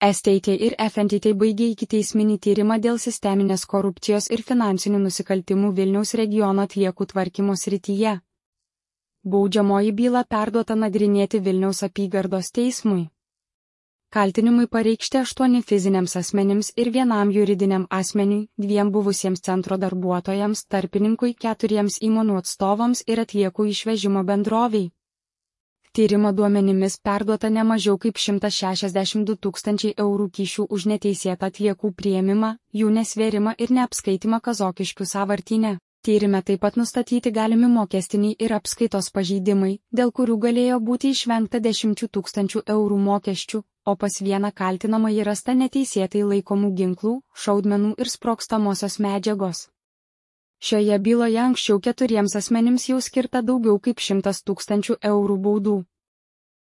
STT ir FNTT baigė ikiteisminį tyrimą dėl sisteminės korupcijos ir finansinių nusikaltimų Vilniaus regiono atliekų tvarkymo srityje. Baudžiamoji byla perduota nagrinėti Vilniaus apygardos teismui. Kaltinimai pareikšti 8 fiziniams asmenims ir 1 juridiniam asmeniui, 2 buvusiems centro darbuotojams, tarpininkui, 4 įmonių atstovams ir atliekų išvežimo bendroviai. Tyrimo duomenimis perduota ne mažiau kaip 162 000 eurų kyšių už neteisėtą atliekų priėmimą, jų nesvėrimą ir neapskaitimą Kazokiškių sąvartyne. Tyrime taip pat nustatyti galimi mokestiniai ir apskaitos pažeidimai, dėl kurių galėjo būti išvengta 10 000 eurų mokesčių, o pas vieną kaltinamąjį rasta neteisėtai laikomų ginklų, šaudmenų ir sprogstamosios medžiagos. Šioje byloje anksčiau 4 asmenims jau skirta daugiau kaip 100 000 eurų baudų.